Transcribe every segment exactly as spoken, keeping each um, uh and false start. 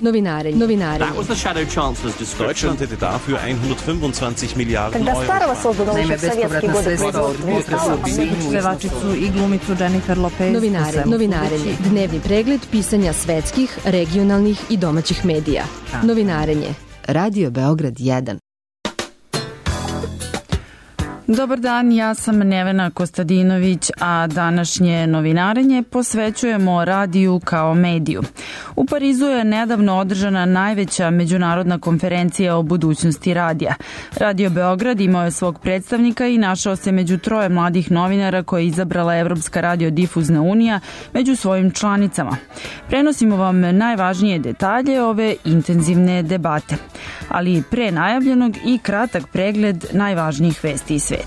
Novinarenje. Novinarenje. That was the Shadow Chancellor's description. Deutschland hätte dafür hundertfünfundzwanzig Milliarden Когда Euro. Старого создано еще в советские годы. Pevačicu i glumicu Jennifer Lopez. Novinarenje. Novinarenje. Dnevni pregled pisanja svetskih, regionalnih i domaćih medija. Novinarenje. Radio Beograd jedan. Dobar dan, ja sam Nevena Kostadinović, a današnje novinarenje posvećujemo radiju kao mediju. U Parizu je nedavno održana najveća međunarodna konferencija o budućnosti radija. Radio Beograd imao je svog predstavnika i našao se među troje mladih novinara koje je izabrala Evropska radiodifuzna unija među svojim članicama. Prenosimo vam najvažnije detalje ove intenzivne debate, ali pre najavljenog i kratak pregled najvažnijih vesti iz sveta.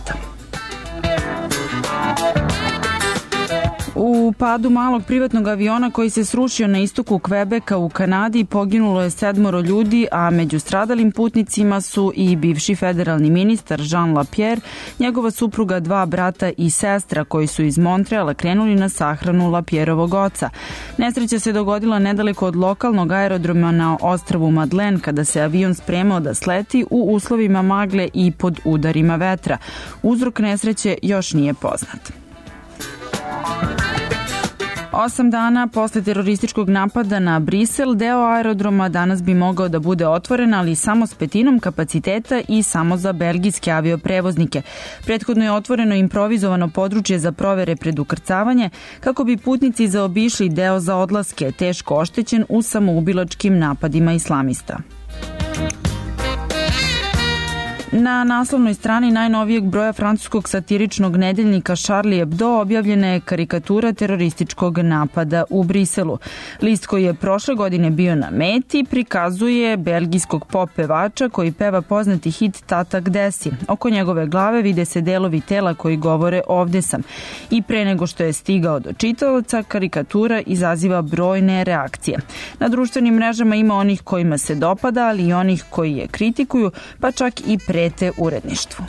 U padu malog privatnog aviona koji se srušio na istoku Kvebeka u Kanadi poginulo je sedmoro ljudi, a među stradalim putnicima su i bivši federalni ministar Jean Lapierre, njegova supruga, dva brata i sestra koji su iz Montreala krenuli na sahranu Lapierrovog oca. Nesreća se dogodila nedaleko od lokalnog aerodroma na ostrvu Madeleine kada se avion spremao da sleti u uslovima magle i pod udarima vetra. Uzrok nesreće još nije poznat. Osam dana posle terorističkog napada na Brisel, deo aerodroma danas bi mogao da bude otvoren, ali samo s petinom kapaciteta i samo za belgijske avioprevoznike. Prethodno je otvoreno improvizovano područje za provere pred ukrcavanje, kako bi putnici zaobišli deo za odlaske, teško oštećen u samoubilačkim napadima islamista. Na naslovnoj strani najnovijeg broja francuskog satiričnog nedeljnika Charlie Hebdo objavljena je karikatura terorističkog napada u Briselu. List koji je prošle godine bio na meti prikazuje belgijskog pop pevača koji peva poznati hit Tata gde si. Oko njegove glave vide se delovi tela koji govore ovde sam. I pre nego što je stigao do čitaoca, karikatura izaziva brojne reakcije. Na društvenim mrežama ima onih kojima se dopada, ali i onih koji je kritikuju, pa čak i pre uredništvu.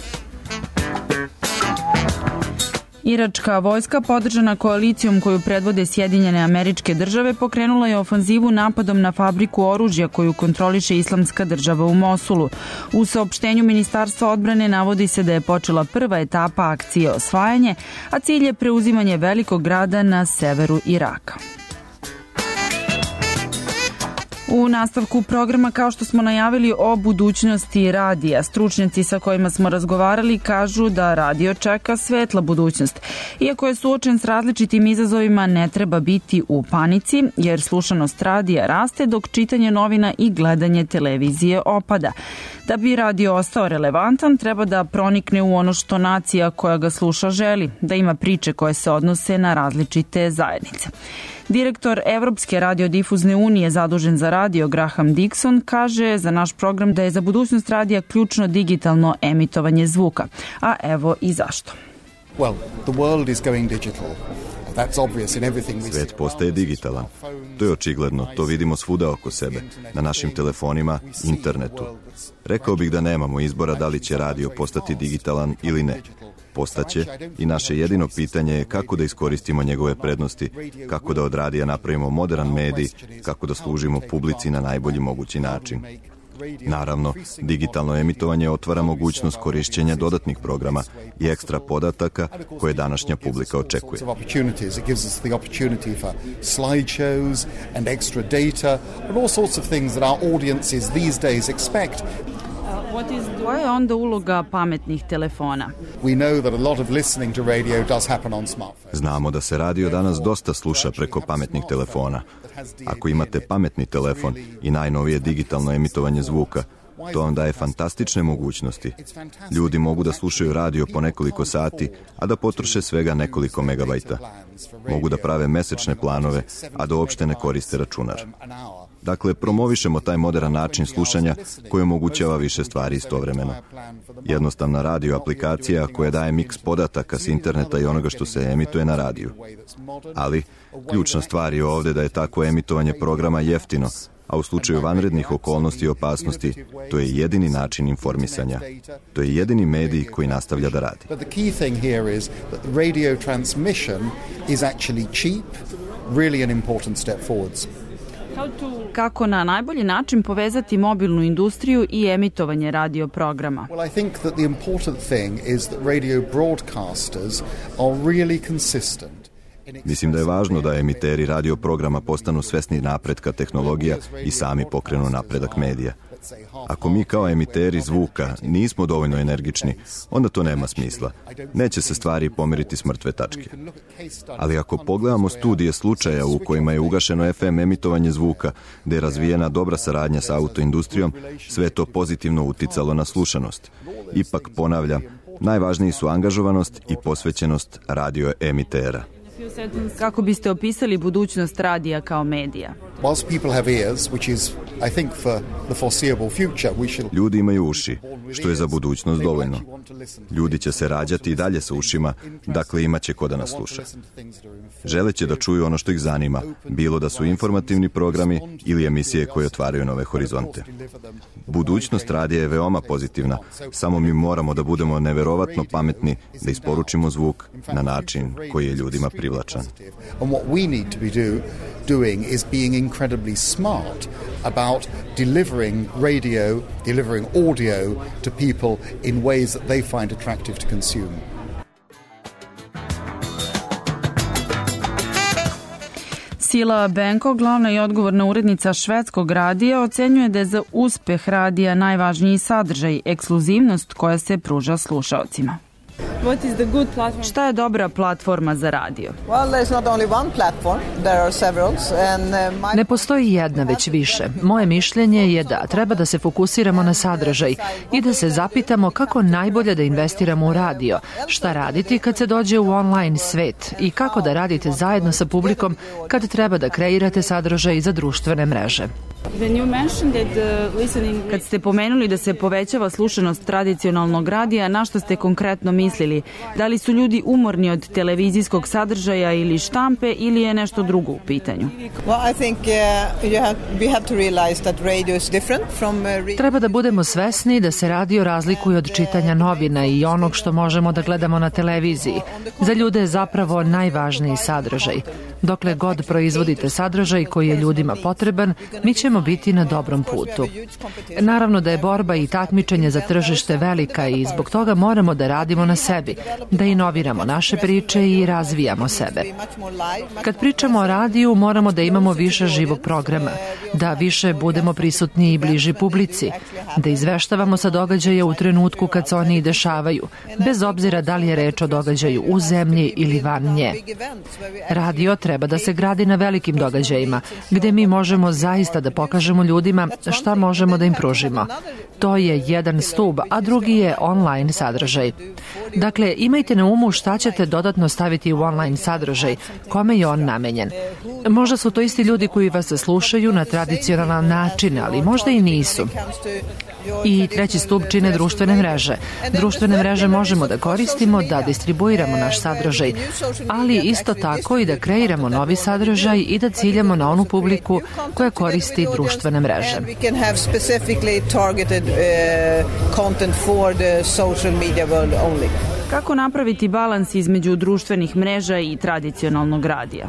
Iračka vojska, podržana koalicijom koju predvode Sjedinjene Američke Države, pokrenula je ofanzivu napadom na fabriku oružja koju kontroliše Islamska država u Mosulu. U saopštenju Ministarstva odbrane navodi se da je počela prva etapa akcije osvajanje, a cilj je preuzimanje velikog grada na severu Iraka. U nastavku programa, kao što smo najavili, o budućnosti radija, stručnjaci sa kojima smo razgovarali kažu da radio čeka svetla budućnost. Iako je suočen s različitim izazovima, ne treba biti u panici, jer slušanost radija raste dok čitanje novina i gledanje televizije opada. Da bi radio ostao relevantan, treba da pronikne u ono što nacija koja ga sluša želi, da ima priče koje se odnose na različite zajednice. Direktor Evropske radiodifuzne unije zadužen za radio Graham Dixon kaže za naš program da je za budućnost radija ključno digitalno emitovanje zvuka. A evo i zašto. Well, the world is going digital. Svet postaje digitalan. To je očigledno, to vidimo svuda oko sebe, na našim telefonima, internetu. Rekao bih da nemamo izbora da li će radio postati digitalan ili ne. Postaće i naše jedino pitanje je kako da iskoristimo njegove prednosti, kako da od radija napravimo modern medij, kako da služimo publici na najbolji mogući način. Naravno, digitalno emitovanje otvara mogućnost korišćenja dodatnih programa i ekstra podataka koje današnja publika očekuje. Koja je onda uloga pametnih telefona? Znamo da se radio danas dosta sluša preko pametnih telefona. Ako imate pametni telefon i najnovije digitalno emitovanje zvuka, to vam daje fantastične mogućnosti. Ljudi mogu da slušaju radio po nekoliko sati, a da potroše svega nekoliko megabajta. Mogu da prave mesečne planove, a da uopšte ne koriste računar. Dakle, promovišemo taj modern način slušanja koji omogućava više stvari istovremeno. Jednostavna radio aplikacija koja daje miks podataka s interneta i onoga što se emituje na radiju. Ali, ključna stvar je ovde da je takvo emitovanje programa jeftino, a u slučaju vanrednih okolnosti i opasnosti, to je jedini način informisanja. To je jedini medij koji nastavlja da radi. But the key thing here is that radio transmission is actually cheap, really an important step forwards. Kako na najbolji način povezati mobilnu industriju i emitovanje radio programa? Well, I think that the important thing is that radio broadcasters are really consistent. Mislim da je važno da emiteri radio programa postanu svesni napretka tehnologija i sami pokrenu napredak medija. Ako mi kao emiteri zvuka nismo dovoljno energični, onda to nema smisla. Neće se stvari pomeriti s mrtve tačke. Ali ako pogledamo studije slučaja u kojima je ugašeno F M emitovanje zvuka, gde je razvijena dobra saradnja sa autoindustrijom, sve to pozitivno uticalo na slušanost. Ipak, ponavljam, najvažniji su angažovanost i posvećenost radio emitera. Kako biste opisali budućnost radija kao medija? Ljudi imaju uši, što je za budućnost dovoljno. Ljudi će se rađati i dalje sa ušima, dakle imaće ko da nas sluša. Želeće da čuju ono što ih zanima, bilo da su informativni programi ili emisije koje otvaraju nove horizonte. Budućnost radija je veoma pozitivna, samo mi moramo da budemo neverovatno pametni da isporučimo zvuk na način koji je ljudima privlačan. Doing is being incredibly smart about delivering radio, delivering audio to people in ways that they find attractive to consume. Sila Benko, glavna i odgovorna urednica švedskog radija, ocenjuje da je za uspeh radija najvažniji sadržaj, ekskluzivnost koja se pruža slušaocima. Šta je dobra platforma za radio? Ne postoji jedna, već više. Moje mišljenje je da treba da se fokusiramo na sadržaj i da se zapitamo kako najbolje da investiramo u radio, šta raditi kad se dođe u online svet i kako da radite zajedno sa publikom kad treba da kreirate sadržaj za društvene mreže. Kad ste pomenuli da se povećava slušanost tradicionalnog radija, na što ste konkretno mislili? Da li su ljudi umorni od televizijskog sadržaja ili štampe ili je nešto drugo u pitanju? Treba da budemo svesni da se radio razlikuje od čitanja novina i onog što možemo da gledamo na televiziji. Za ljude je zapravo najvažniji sadržaj. Dokle god proizvodite sadržaj koji je ljudima potreban, mi ćemo biti na dobrom putu. Naravno da je borba i takmičenje za tržište velika i zbog toga moramo da radimo na sebi, da inoviramo naše priče i razvijamo sebe. Kad pričamo o radiju, moramo da imamo više živog programa, da više budemo prisutni i bliži publici, da izveštavamo sa događaja u trenutku kad se oni i dešavaju, bez obzira da li je reč o događaju u zemlji ili van nje. Radio treba da se gradi na velikim događajima, gde mi možemo zaista da pokažemo ljudima šta možemo da im pružimo. To je jedan stub, a drugi je online sadržaj. Dakle, imajte na umu šta ćete dodatno staviti u online sadržaj, kome je on namenjen. Možda su to isti ljudi koji vas slušaju na tradicionalan način, ali možda i nisu. I treći stub čine društvene mreže. Društvene mreže možemo da koristimo, da distribuiramo naš sadržaj, ali isto tako i da kreiramo novi sadržaj i da ciljamo na onu publiku koja koristi društvene mreže. Kako napraviti balans između društvenih mreža i tradicionalnog radija?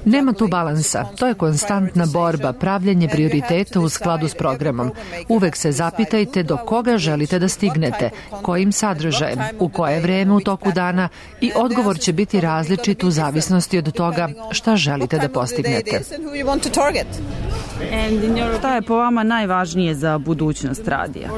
Nema tu balansa. To je konstantna borba, pravljenje prioriteta u skladu s programom. Uvek se zapitajte do koga želite da stignete, kojim sadržajem, u koje vreme u toku dana i odgovor će biti različit u zavisnosti od toga šta želite da postignete. Šta je po vama najvažnije za budućnost radija?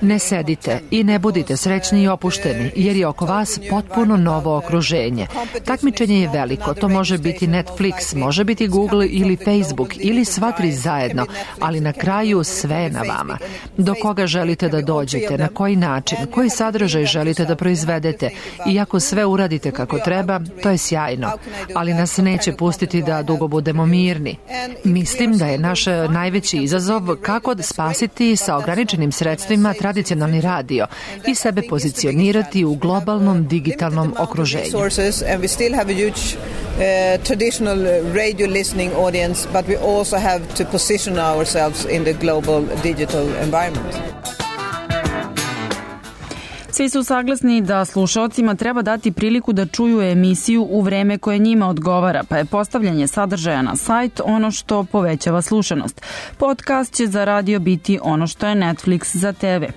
Ne sedite i ne budite srećni i opušteni, jer je oko vas potpuno novo okruženje. Takmičenje je veliko, to može biti Netflix, može biti Google ili Facebook ili sva tri zajedno, ali na kraju sve je na vama. Do koga želite da dođete, na koji način, koji sadržaj želite da proizvedete i ako sve uradite kako treba, to je sjajno, ali nas neće pustiti da dugo budemo mirni. Mislim da je naš najveći izazov kako da spasiti sa ograničenim sredstvima tradicionalni radio i sebe pozicionirati u globalnom digitalnom okruženju. Traditional radio listening audience, but we also have to position ourselves in the global digital environment. Svi su saglasni da slušaocima treba dati priliku da čuju emisiju u vreme koje njima odgovara, pa je postavljanje sadržaja na sajt ono što povećava slušanost. Podcast će za radio biti ono što je Netflix za te ve.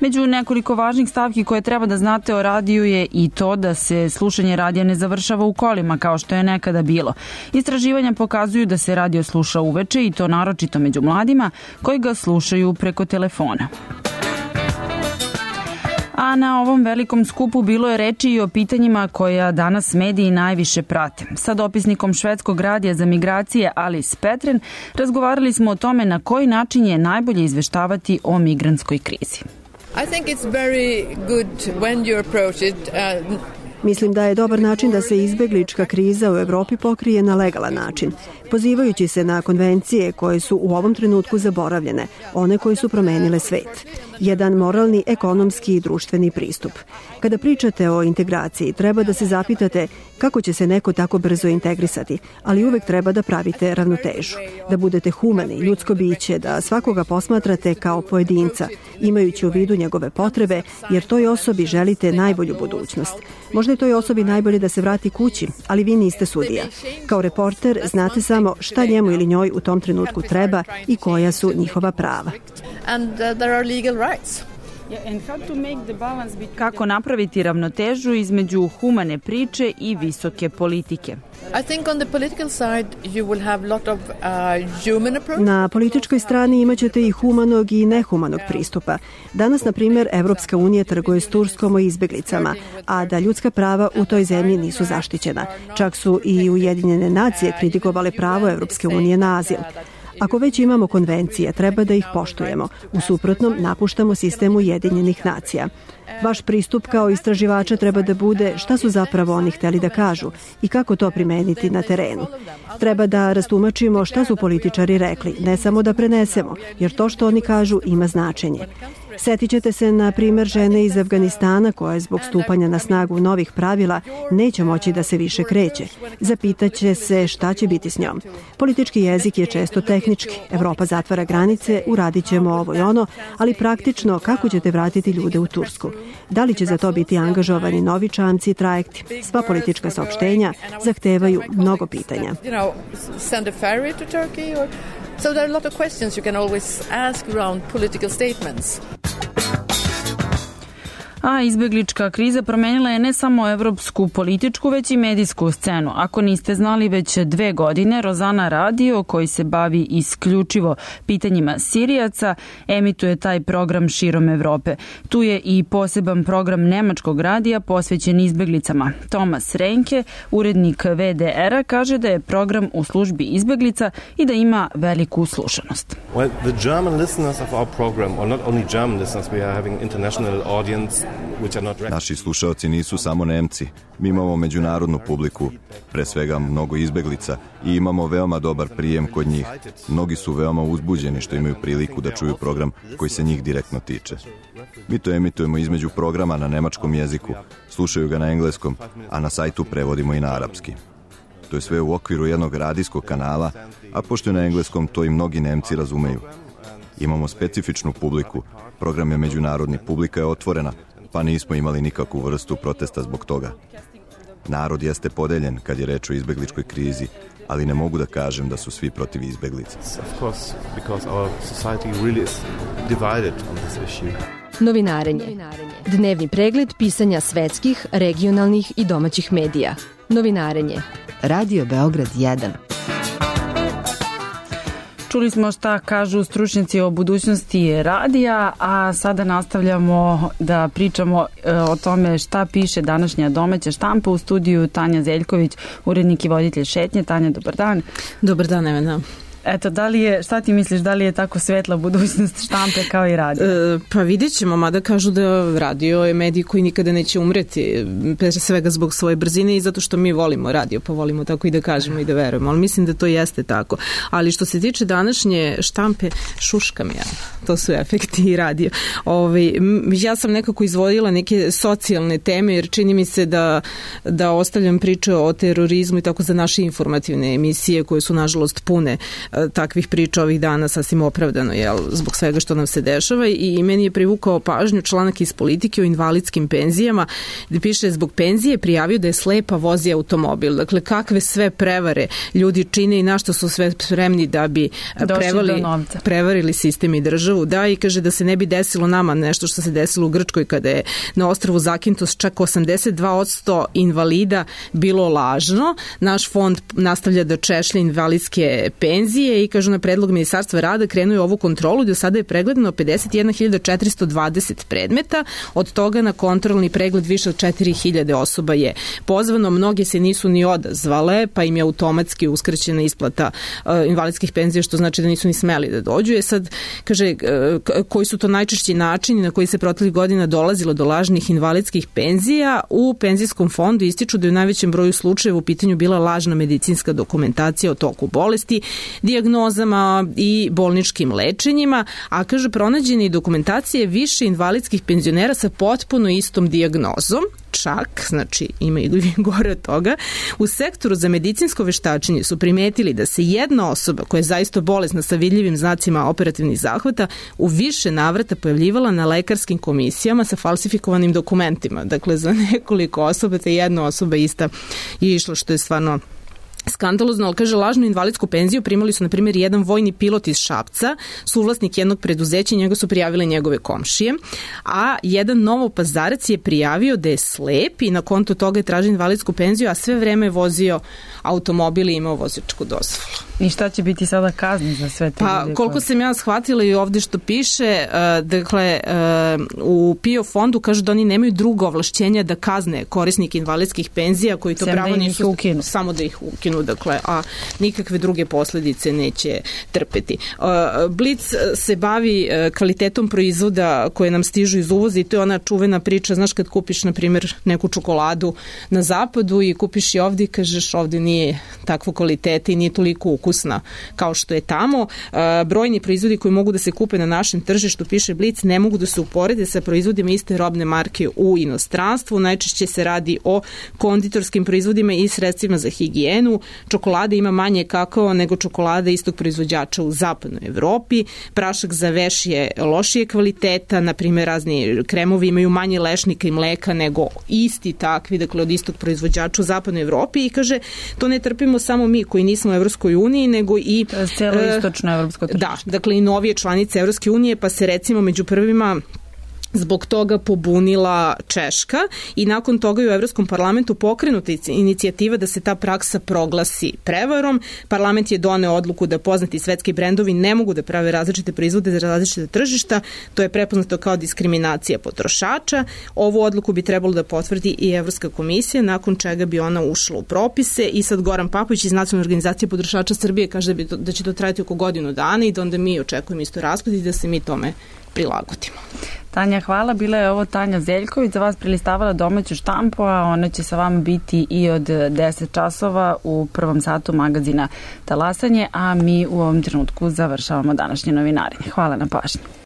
Među nekoliko važnih stavki koje treba da znate o radiju je i to da se slušanje radija ne završava u kolima kao što je nekada bilo. Istraživanja pokazuju da se radio sluša uveče i to naročito među mladima koji ga slušaju preko telefona. A na ovom velikom skupu bilo je reči i o pitanjima koja danas mediji najviše prate. Sa dopisnikom švedskog radija za migracije Alice Petren razgovarali smo o tome na koji način je najbolje izveštavati o migrantskoj krizi. I think it's very good when you approach it. Uh... Mislim da je dobar način da se izbeglička kriza u Evropi pokrije na legalan način, pozivajući se na konvencije koje su u ovom trenutku zaboravljene, one koje su promenile svet. Jedan moralni, ekonomski i društveni pristup. Kada pričate o integraciji, treba da se zapitate kako će se neko tako brzo integrisati, ali uvek treba da pravite ravnotežu, da budete humani, ljudsko biće, da svakoga posmatrate kao pojedinca, imajući u vidu njegove potrebe, jer toj osobi želite najbolju budućnost. Možda je toj osobi najbolje da se vrati kući, ali vi niste sudija. Kao reporter znate samo šta njemu ili njoj u tom trenutku treba i koja su njihova prava. Kako napraviti ravnotežu između humane priče i visoke politike? Na političkoj strani imaćete i humanog i nehumanog pristupa. Danas, na primjer, Evropska unija trguje s Turskom o izbeglicama, a da ljudska prava u toj zemlji nisu zaštićena. Čak su i Ujedinjene nacije kritikovale pravo Evropske unije na azil. Ako već imamo konvencije, treba da ih poštujemo. U suprotnom, napuštamo sistem Ujedinjenih nacija. Vaš pristup kao istraživača treba da bude šta su zapravo oni hteli da kažu i kako to primeniti na terenu. Treba da rastumačimo šta su političari rekli, ne samo da prenesemo, jer to što oni kažu ima značenje. Setit ćete se, na primjer, žene iz Afganistana koja zbog stupanja na snagu novih pravila neće moći da se više kreće. Zapitaće se šta će biti s njom. Politički jezik je često tehnički. Evropa zatvara granice, uradit ćemo ovo i ono, ali praktično kako ćete vratiti ljude u Tursku? Da li će za to biti angažovani novi čamci i trajekti? Sva politička saopštenja zahtevaju mnogo pitanja. So there are a lot of questions you can always ask around political statements. A izbeglička kriza promenila je ne samo evropsku političku, već i medijsku scenu. Ako niste znali, već dve godine Rozana Radio, koji se bavi isključivo pitanjima Sirijaca, emituje taj program širom Evrope. Tu je i poseban program nemačkog radija posvećen izbeglicama. Tomas Renke, urednik ve de era, kaže da je program u službi izbeglica i da ima veliku slušanost. Well, the German listeners of our program, or not only German listeners, we are having international audience. Naši slušaoci nisu samo Nemci. Mi imamo međunarodnu publiku, pre svega mnogo izbeglica, i imamo veoma dobar prijem kod njih. Mnogi su veoma uzbuđeni što imaju priliku da čuju program koji se njih direktno tiče. Mi to emitujemo između programa na nemačkom jeziku, slušaju ga na engleskom, a na sajtu prevodimo i na arapski. To je sve u okviru jednog radijskog kanala, a pošto je na engleskom, to i mnogi Nemci razumeju. Imamo specifičnu publiku, program je međunarodni, publika je otvorena, pa nismo imali nikakvu vrstu protesta zbog toga. Narod jeste podeljen kad je reč o izbegličkoj krizi, ali ne mogu da kažem da su svi protiv izbeglica. Novinarenje. Dnevni pregled pisanja svetskih, regionalnih i domaćih medija. Novinarenje. Radio Beograd jedan. Čuli smo šta kažu stručnjaci o budućnosti radija, a sada nastavljamo da pričamo o tome šta piše današnja domaća štampa. U studiju Tanja Zeljković, urednik i voditelj Šetnje. Tanja, dobar dan. Dobar dan, Evena. Eto, da li je, šta ti misliš, da li je tako svetla budućnost štampe kao i radio? E, pa vidjet ćemo, mada kažu da radio je medij koji nikada neće umreti, pre svega zbog svoje brzine i zato što mi volimo radio, pa volimo tako i da kažemo i da verujemo, ali mislim da to jeste tako. Ali što se tiče današnje štampe, šuškam ja, to su efekti i radio. Ove, ja sam nekako izvodila neke socijalne teme, jer čini mi se da, da ostavljam priče o terorizmu i tako za naše informativne emisije koje su nažalost pune takvih priča ovih dana sasvim opravdano, jel, zbog svega što nam se dešava, i meni je privukao pažnju članak iz Politike o invalidskim penzijama, gde piše zbog penzije prijavio da je slepa, vozi automobil. Dakle, kakve sve prevare ljudi čine i na što su sve spremni da bi prevali, prevarili sistem i državu. Da, i kaže da se ne bi desilo nama nešto što se desilo u Grčkoj kada je na ostrvu Zakintos čak osamdeset dva posto invalida bilo lažno. Naš fond nastavlja da češlja invalidske penzije i kažu na predlog Ministarstva rada krenuo ovu kontrolu i do sada je pregledano pedeset jedna hiljada četiristo dvadeset predmeta, od toga na kontrolni pregled više od četiri hiljade osoba je pozvano, mnoge se nisu ni odazvale, pa im je automatski uskraćena isplata uh, invalidskih penzija, što znači da nisu ni smeli da dođu. Je sad, kaže, uh, koji su to najčešći načini na koji se proteklih godina dolazilo do lažnih invalidskih penzija. U penzijskom fondu ističu da je u najvećem broju slučajeva u pitanju bila lažna medicinska dokumentacija o toku bolesti, dijagnozama i bolničkim lečenjima, a kaže pronađene dokumentacije više invalidskih penzionera sa potpuno istom dijagnozom. Čak, znači ima i gore od toga, u sektoru za medicinsko veštačenje su primetili da se jedna osoba koja je zaista bolesna sa vidljivim znacima operativnih zahvata u više navrata pojavljivala na lekarskim komisijama sa falsifikovanim dokumentima. Dakle, za nekoliko osoba te jedna osoba ista je išla, što je stvarno skandalozno, ali kaže lažnu invalidsku penziju primali su na primjer jedan vojni pilot iz Šapca, suvlasnik jednog preduzeća i njega su prijavile njegove komšije, a jedan Novopazarac je prijavio da je slep i na konto toga je tražio invalidsku penziju, a sve vreme je vozio automobil i imao vozačku dozvolu. I šta će biti sada kazni za sve te pa, ljude? Koliko koje... sam ja shvatila i ovde što piše, uh, dakle, uh, u P I O fondu kažu da oni nemaju drugo ovlašćenja da kazne korisnike invalidskih penzija koji to Sem pravo da nisu ukinu. Samo da ih ukinu, dakle, a nikakve druge posledice neće trpeti. Uh, Blic se bavi uh, kvalitetom proizvoda koje nam stižu iz uvoza i to je ona čuvena priča, znaš kad kupiš, na primjer, neku čokoladu na zapadu i kupiš je ovde i kažeš ovde nije takvo kvalitete i nije toliko ukusna kao što je tamo. Uh, brojni proizvodi koji mogu da se kupe na našem tržištu, piše Blic, ne mogu da se uporede sa proizvodima iste robne marke u inostranstvu. Najčešće se radi o konditorskim proizvodima i sredstvima za higijenu. Čokolada ima manje kakao nego čokolada istog proizvođača u zapadnoj Evropi. Prašak za veš je lošije kvaliteta, na primjer razni kremovi imaju manje lešnika i mleka nego isti takvi, dakle od istog proizvođača u zapadnoj Evropi i kaže to ne trpimo samo mi koji nismo u Evropskoj uniji, nego i celo istočno evropsko tržište. Da, dakle i novije članice Evropske unije, pa se recimo među prvima zbog toga pobunila Češka i nakon toga je u Evropskom parlamentu pokrenuta inicijativa da se ta praksa proglasi prevarom. Parlament je doneo odluku da poznati svetski brendovi ne mogu da prave različite proizvode za različite tržišta. To je prepoznato kao diskriminacija potrošača. Ovu odluku bi trebalo da potvrdi i Evropska komisija, nakon čega bi ona ušla u propise i sad Goran Papović iz Nacionalne organizacije potrošača Srbije kaže da, bi to, da će to trajati oko godinu dana i da onda mi očekujemo isto raspad i da se mi tome prilagodimo. Tanja, hvala. Bila je ovo Tanja Zeljković, za vas prilistavala domaću štampu, a ona će sa vama biti i od deset časova u prvom satu magazina Talasanje, a mi u ovom trenutku završavamo današnje novinarenje. Hvala na pažnji.